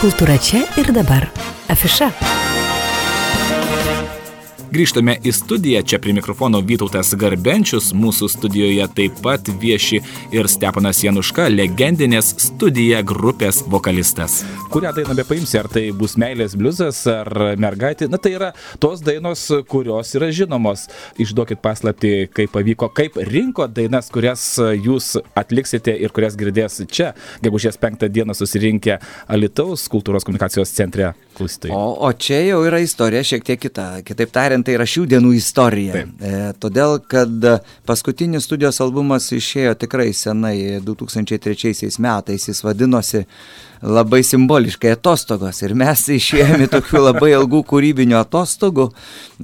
Kultūra čia ir dabar. Afiša. Grįžtame į studiją, čia prie mikrofono Vytautas Garbenčius, mūsų studijoje taip pat vieši ir Steponas Januška, legendinės Studija grupės vokalistas. Kurią dainą bepaimsi, ar tai bus Meilės bliuzas, ar Mergaitė, tai yra tos dainos, kurios yra žinomos. Išduokit paslaptį, kaip pavyko, kaip rinko dainas, kurias jūs atliksite ir kurias girdės čia, gegužės 5 dieną susirinkę Alytaus kultūros komunikacijos centre klausytojai. O čia jau yra istorija šiek tiek kita. Kitaip tariant, tai yra šių dienų istorija. Todėl, kad paskutinis studijos albumas išėjo tikrai senai, 2003 metais, jis vadinosi labai simboliškai Atostogos. Ir mes išėjome tokių labai ilgų kūrybinių atostogų,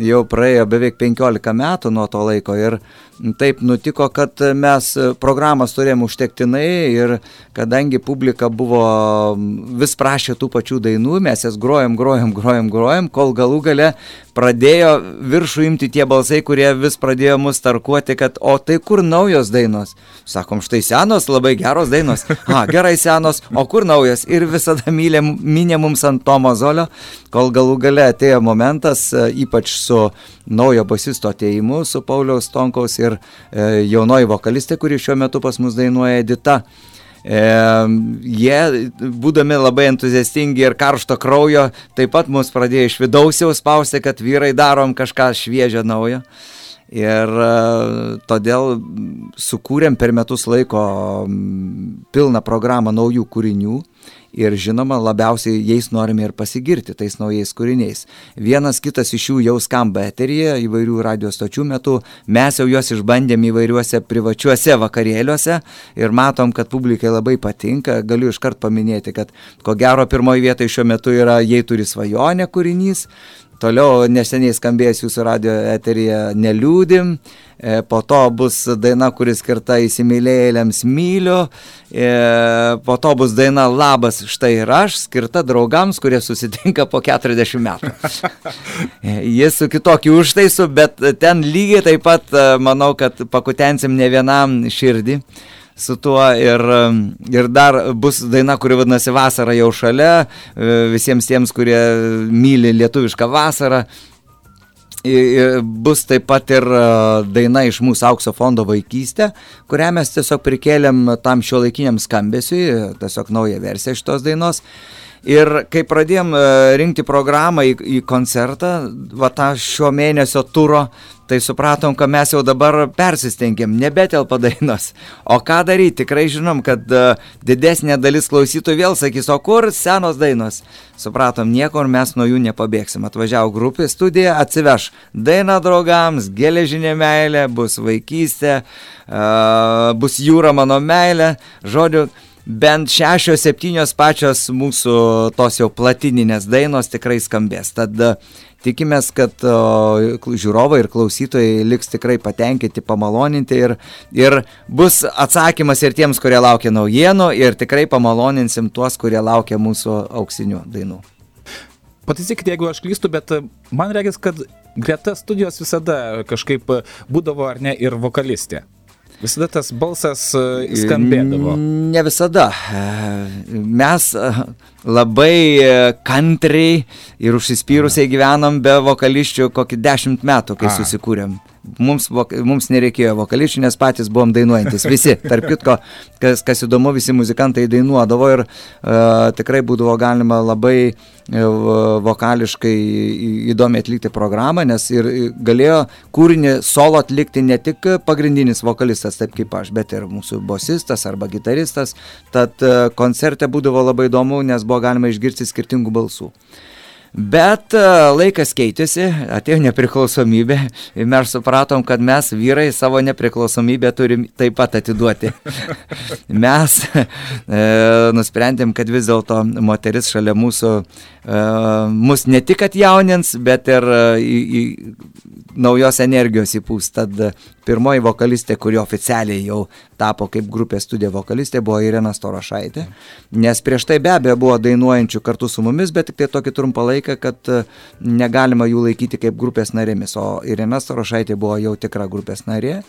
jau praėjo beveik 15 metų nuo to laiko. Ir taip nutiko, kad mes programas turėjom užtektinai ir kadangi publika buvo vis prašė tų pačių dainų, mes jas grojom, kol galų gale pradėjo viršų imti tie balsai, kurie vis pradėjo mus tarkuoti, kad o tai kur naujos dainos? Sakom, štai senos, labai geros dainos. Gerai senos, o kur naujos? Ir visada minė mums ant to mozolio, kol galų gale atėjo momentas, ypač su naujo basisto atėjimu, su Pauliaus Tonkaus ir jaunoji vokalistė, kuri šiuo metu pas mus dainuoja Edita. Jie, būdami labai entuziastingi ir karšto kraujo, taip pat mus pradėjo iš vidaus jau spausti, kad vyrai darom kažką šviežio naujo. Ir todėl sukūrėm per metus laiko pilną programą naujų kūrinių ir žinoma, labiausiai jais norime ir pasigirti, tais naujais kūriniais. Vienas kitas iš jų jau skamba eteryje įvairių radio stočių metu, mes jau juos išbandėm įvairiuose privačiuose vakarėliuose ir matom, kad publikai labai patinka. Galiu iškart paminėti, kad ko gero pirmoji vietoje šiuo metu yra Jei turi svajonę kūrinys. Toliau neseniai skambėjęs jūsų radio eteryje Neliūdim, po to bus daina, kuris skirta įsimylėjėliams Myliu, po to bus daina Labas štai ir aš, skirta draugams, kurie susitinka po 40 metų. Jis su kitokiu užtaisu, bet ten lygiai taip pat manau, kad pakutensim ne vienam širdį su tuo ir dar bus daina, kuri vadinasi Vasara jau šalia, visiems tiems, kurie myli lietuvišką vasarą. Bus taip pat ir daina iš mūsų Aukso fondo Vaikystė, kurią mes tiesiog prikėlėm tam šiuolaikiniam skambesiui, tiesiog naują versiją šitos dainos. Ir kai pradėjom rinkti programą į koncertą, tą šio mėnesio turo, tai supratom, kad mes jau dabar persistengėm, nebetelpa dainos. O ką daryti? Tikrai žinom, kad didesnė dalis klausytojų vėl sakys, o kur senos dainos? Supratom, niekur mes nuo jų nepabėgsim. Atvažiavo grupė Studija, atsiveš dainą draugams, Geležinė meilė, bus Vaikystė, bus Jūra mano meilė, žodžiu, bent 6-7 pačios mūsų tos jau platininės dainos tikrai skambės. Tad tikimės, kad žiūrovai ir klausytojai liks tikrai patenkinti, pamaloninti ir bus atsakymas ir tiems, kurie laukia naujienų ir tikrai pamaloninsim tuos, kurie laukia mūsų auksinių dainų. Pataisykite, jeigu aš klystu, bet man regis, kad greta studijos visada kažkaip būdavo ar ne ir vokalistė. Visada tas balsas skambėdavo. Ne visada. Mes labai kantriai ir užsispyrusiai gyvenom be vokališčių kokį 10 metų, kai susikūrėm. Mums nereikėjo vokališčių, nes patys buvom dainuojantis. Visi, tarp kitko, kas įdomu, visi muzikantai dainuodavo ir tikrai būdavo galima labai vokališkai įdomiai atlikti programą, nes ir galėjo kūrinį solo atlikti ne tik pagrindinis vokalistas, taip kaip aš, bet ir mūsų bosistas arba gitaristas. Tad koncerte būdavo labai įdomu, nes buvo galima išgirsti skirtingų balsų. Bet laikas keitėsi, atėjo nepriklausomybė ir mes supratom, kad mes vyrai savo nepriklausomybę turim taip pat atiduoti. Mes nusprendėm, kad vis dėlto moteris šalia mūsų mus ne tik atjaunins, bet ir naujos energijos įpūs. Tad pirmoji vokalistė, kuri oficialiai jau tapo kaip grupės Studija vokalistė, buvo Irena Storošaitė. Nes prieš tai be abejo buvo dainuojančių kartu su mumis, bet tik tai tokį trumpą laiką, kad negalima jų laikyti kaip grupės narėmis. O Irena Storošaitė buvo jau tikra grupės narė.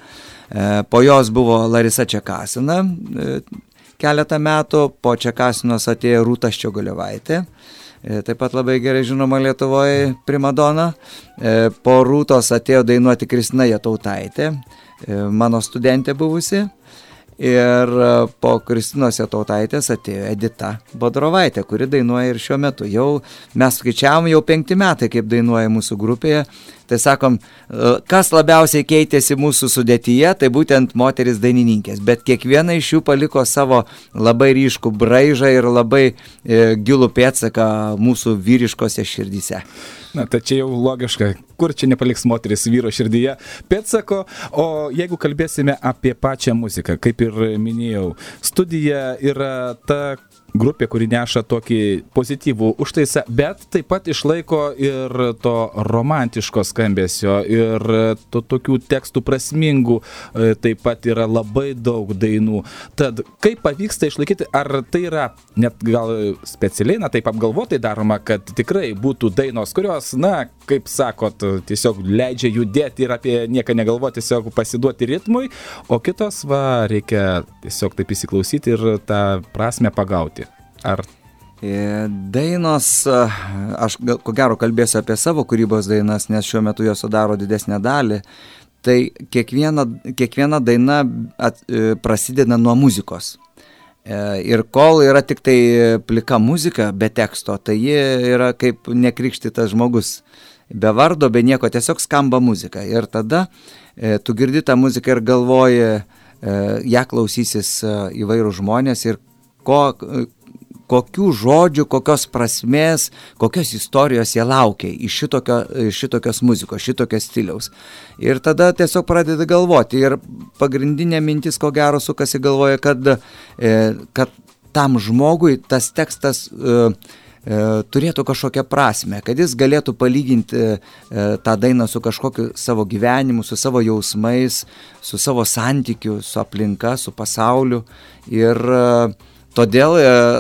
Po jos buvo Larisa Čekasina, keletą metų, po Čekasinos atėjo Rūta Ščiogolevaitė, taip pat labai gerai žinoma Lietuvoje primadona. Po Rūtos atėjo dainuoti Kristina Jatautaitė, mano studentė buvusi. Ir po Kristinos Jatautaitės atėjo Edita Bodrovaitė, kuri dainuoja ir šiuo metu. Jau mes skaičiavom jau 5 metai, kaip dainuoja mūsų grupėje. Tai sakom, kas labiausiai keitėsi mūsų sudėtyje, tai būtent moteris dainininkės. Bet kiekviena iš jų paliko savo labai ryškų braižą ir labai gilų pėdsaką mūsų vyriškose širdyse. Na, tai čia jau logiška, kur čia nepaliks moteris vyro širdyje pėdsako, o jeigu kalbėsime apie pačią muziką, kaip ir minėjau, studija yra ta grupė, kuri neša tokį pozityvų užtaisą, bet taip pat išlaiko ir to romantiško skambesio ir to tokių tekstų prasmingų, taip pat yra labai daug dainų. Tad kaip pavyksta išlaikyti, ar tai yra net gal specialiai, taip apgalvotai daroma, kad tikrai būtų dainos, kurios, kaip sakot, tiesiog leidžia judėti ir apie nieką negalvoti, tiesiog pasiduoti ritmui, o kitos, reikia tiesiog taip įsiklausyti ir tą prasmę pagauti. Ar dainos, aš ko gero kalbėsiu apie savo kūrybos dainas, nes šiuo metu jos sudaro didesnę dalį, tai kiekviena daina prasideda nuo muzikos. Ir kol yra tik tai plika muzika be teksto, tai ji yra kaip nekrikštytas žmogus, be vardo, be nieko, tiesiog skamba muzika. Ir tada tu girdi tą muziką ir galvoji, ją klausysis įvairūs žmonės ir kokių žodžių, kokios prasmės, kokios istorijos jie laukia iš šitokios muzikos, šitokios stiliaus. Ir tada tiesiog pradeda galvoti. Ir pagrindinė mintis, ko gero, sukasi galvoje, kad tam žmogui tas tekstas turėtų kažkokią prasmę, kad jis galėtų palyginti tą dainą su kažkokiu savo gyvenimu, su savo jausmais, su savo santykiu, su aplinka, su pasauliu. Ir todėl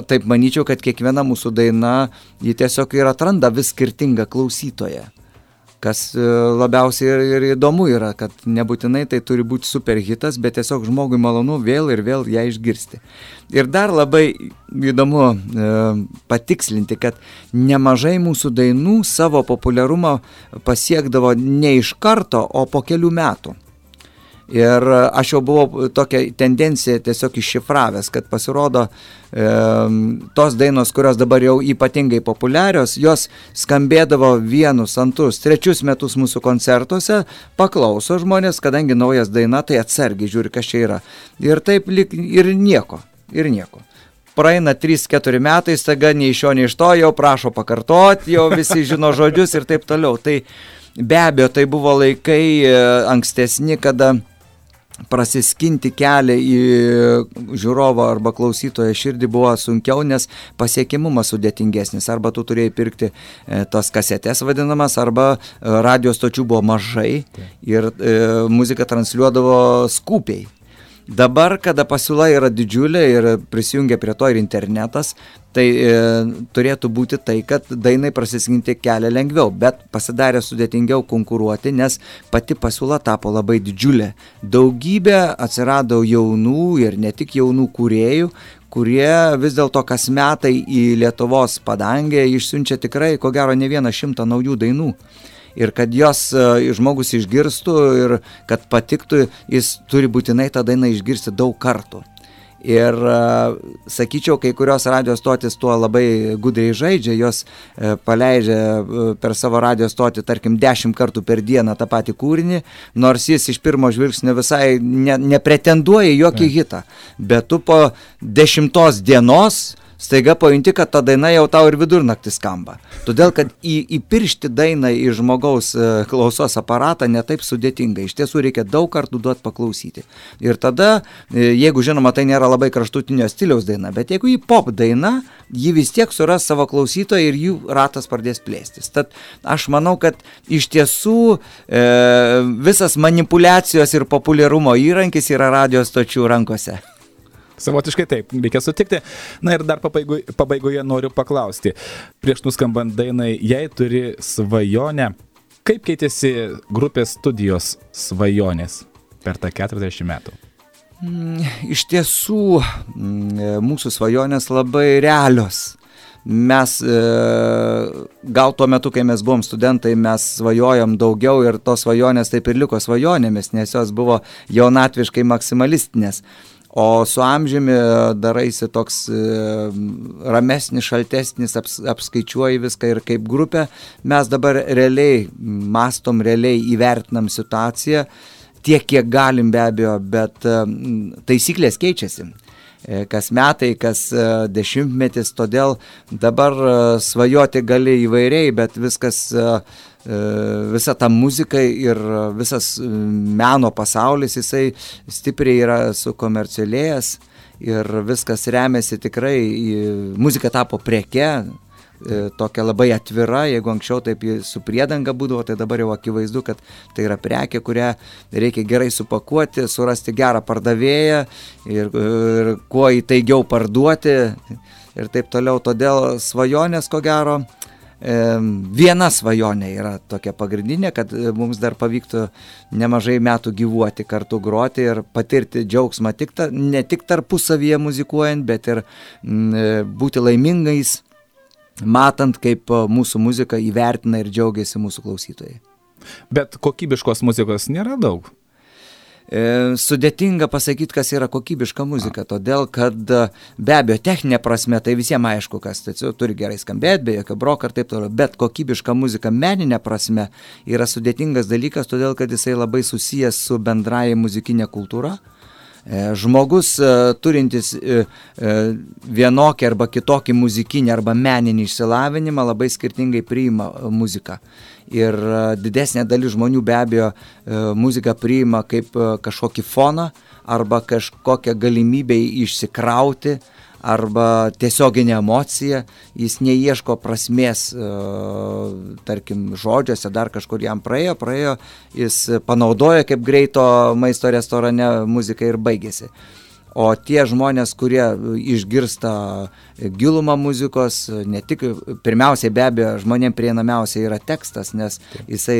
taip manyčiau, kad kiekviena mūsų daina, ji tiesiog ir atranda vis skirtingą klausytoją. Kas labiausiai ir įdomu yra, kad nebūtinai tai turi būti super hitas, bet tiesiog žmogui malonu vėl ir vėl ją išgirsti. Ir dar labai įdomu patikslinti, kad nemažai mūsų dainų savo populiarumą pasiekdavo ne iš karto, o po kelių metų. Ir aš jau buvau tokią tendenciją tiesiog iššifravęs, kad pasirodo tos dainos, kurios dabar jau ypatingai populiarios, jos skambėdavo 1, 2, 3 metus mūsų koncertuose, paklauso žmonės, kadangi naujas daina, tai atsargiai žiūri, kas čia yra. Ir taip ir nieko. Praeina 3-4 metai, staiga nei iš jo, nei iš to, jau prašo pakartoti, jau visi žino žodžius ir taip toliau. Tai be abejo, tai buvo laikai ankstesni, kada prasiskinti kelią į žiūrovą arba klausytojo širdį buvo sunkiau, nes pasiekimumas sudėtingesnis. Arba tu turėjai pirkti tos kasetės vadinamas, arba radio stočių buvo mažai ir muzika transliuodavo skupiai. Dabar, kada pasiūla yra didžiulė ir prisijungia prie to ir internetas, tai turėtų būti tai, kad dainai prasiskinti kelią lengviau, bet pasidarė sudėtingiau konkuruoti, nes pati pasiūla tapo labai didžiulė. Daugybė atsirado jaunų ir ne tik jaunų kūrėjų, kurie vis dėlto kas metai į Lietuvos padangę išsiunčia tikrai, ko gero, ne 100 naujų dainų. Ir kad jos žmogus išgirstų ir kad patiktų, jis turi būtinai tą dainą išgirsti daug kartų. Ir sakyčiau, kai kurios radio stotis tuo labai gudriai žaidžia, jos paleidžia per savo radio stotį, tarkim, 10 kartų per dieną tą patį kūrinį, nors jis iš pirmo žvilgsnio visai nepretenduoja į jokį hitą. Bet tu po 10 dienos staiga pajunti, kad ta daina jau tau ir vidurnaktį skamba. Todėl, kad įpiršti dainą į žmogaus klausos aparatą netaip sudėtinga. Iš tiesų reikia daug kartų duoti paklausyti. Ir tada, jeigu žinoma, tai nėra labai kraštutinio stiliaus daina, bet jeigu į pop daina, ji vis tiek suras savo klausytoją ir jų ratas pradės plėstis. Tad aš manau, kad iš tiesų visas manipulacijos ir populiarumo įrankis yra radio stočių rankose. Savotiškai taip, reikia sutikti. Na ir dar pabaigoje noriu paklausti. Prieš nuskambant dainai, jei turi svajonę, kaip keitėsi grupės studijos svajonės per tą 40 metų? Iš tiesų, mūsų svajonės labai realios. Mes, gal tuo metu, kai mes buvom studentai, mes svajojom daugiau ir tos svajonės taip ir liko svajonėmis, nes jos buvo jaunatviškai maksimalistinės. O su amžiumi daraisi toks ramesnis, šaltesnis, apskaičiuoji viską ir kaip grupė. Mes dabar realiai mastom, realiai įvertinam situaciją, tiek kiek galim be abejo, bet taisyklės keičiasi. Kas metai, kas dešimtmetis, todėl dabar svajoti gali įvairiai, bet viskas, visa ta muzika ir visas meno pasaulis, jisai stipriai yra sukomercialėjęs ir viskas remiasi tikrai, muzika tapo preke, tokia labai atvira, jeigu anksčiau taip su priedanga būdavo, tai dabar jau akivaizdu, kad tai yra prekė, kurią reikia gerai supakuoti, surasti gerą pardavėją ir kuo įtaigiau parduoti ir taip toliau. Todėl svajonės, ko gero, viena svajonė yra tokia pagrindinė, kad mums dar pavyktų nemažai metų gyvuoti, kartu groti ir patirti džiaugsmą ne tik tarpusavyje muzikuojant, bet ir būti laimingais, matant, kaip mūsų muzika įvertina ir džiaugiasi mūsų klausytojai. Bet kokybiškos muzikos nėra daug. Sudėtinga pasakyti, kas yra kokybiška muzika, todėl kad be abejo techninė prasme tai visiems aišku, kas turi gerai skambėti, be jokio broko ir taip toliau, bet kokybiška muzika meninė prasme yra sudėtingas dalykas, todėl kad jisai labai susijęs su bendraja muzikinė kultūra. Žmogus turintis vienokį arba kitokį muzikinį arba meninį išsilavinimą labai skirtingai priima muziką. Ir didesnė dalis žmonių be abejo muziką priima kaip kažkokį foną arba kažkokią galimybę išsikrauti arba tiesioginė emocija, jis neieško prasmės, tarkim, žodžiuose, dar kažkur jam praėjo, jis panaudoja kaip greito maisto restorane muziką ir baigėsi. O tie žmonės, kurie išgirsta gilumą muzikos, ne tik, pirmiausiai be abejo, žmonėms prieinamiausia yra tekstas, nes jisai,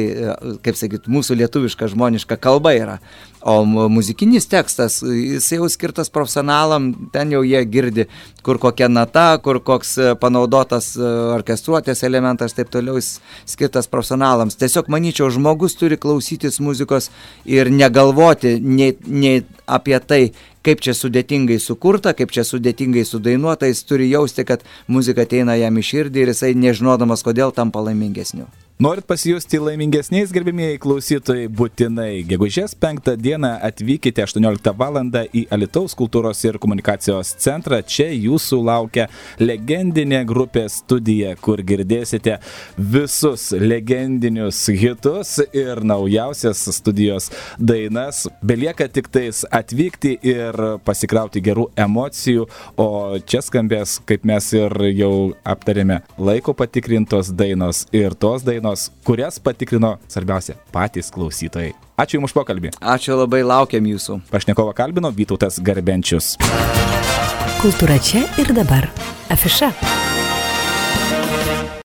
kaip sakyt, mūsų lietuviška žmoniška kalba yra. O muzikinis tekstas, jisai jau skirtas profesionalam, ten jau jie girdi, kur kokia nata, kur koks panaudotas orkestruotės elementas, taip toliau jis skirtas profesionalams. Tiesiog manyčiau, žmogus turi klausytis muzikos ir negalvoti nei apie tai, kaip čia sudėtingai sukurta, kaip čia sudėtingai sudainuota, jis turi jausti, kad muzika ateina jam į širdį ir jisai nežinodamas, kodėl tampa laimingesniu. Norit pasijusti laimingesniais, gerbimieji klausytojai, būtinai gegužės 5 dieną atvykite 18 val. Į Alytaus kultūros ir komunikacijos centrą. Čia jūsų laukia legendinė grupė Studija, kur girdėsite visus legendinius hitus ir naujausias Studijos dainas. Belieka tik tais atvykti ir pasikrauti gerų emocijų, o čia skambės, kaip mes ir jau aptarėme, laiko patikrintos dainos ir tos dainos, kurias patikrino, svarbiausia, patys klausytojai. Ačiū Jums už pokalbį. Ačiū labai, laukiam Jūsų. Pašnekovą kalbino Vytautas Garbenčius. Kultūra čia ir dabar. Afiša.